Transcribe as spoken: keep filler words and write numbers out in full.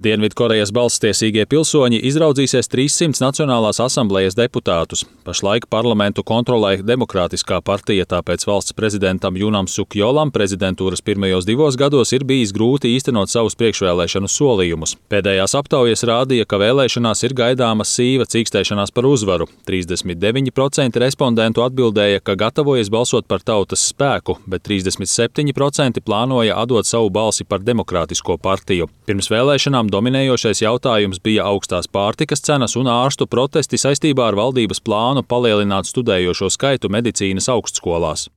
Dienvidkorejas balsstiesīgie pilsoņi izraudzīsies trīssimts Nacionālās asamblejas deputātus. Pašlaik parlamentu kontrolē Demokrātiskā partija, tāpēc valsts prezidentam Junam Sukjolam prezidentūras pirmajos divos gados ir bijis grūti īstenot savus priekšvēlēšanu solījumus. Pēdējās aptaujas rādīja, ka vēlēšanās ir gaidāma sīva cīkstēšanās par uzvaru. trīsdesmit deviņi procenti respondentu atbildēja, ka gatavojas balsot par Tautas spēku, bet trīsdesmit septiņi procenti plānoja atdot savu balsi par Demokrātisko partiju. Pirms vēlēšanām dominējošais jautājums bija augstās pārtikas cenas un ārstu protesti saistībā ar valdības plānu palielināt studējošo skaitu medicīnas augstskolās.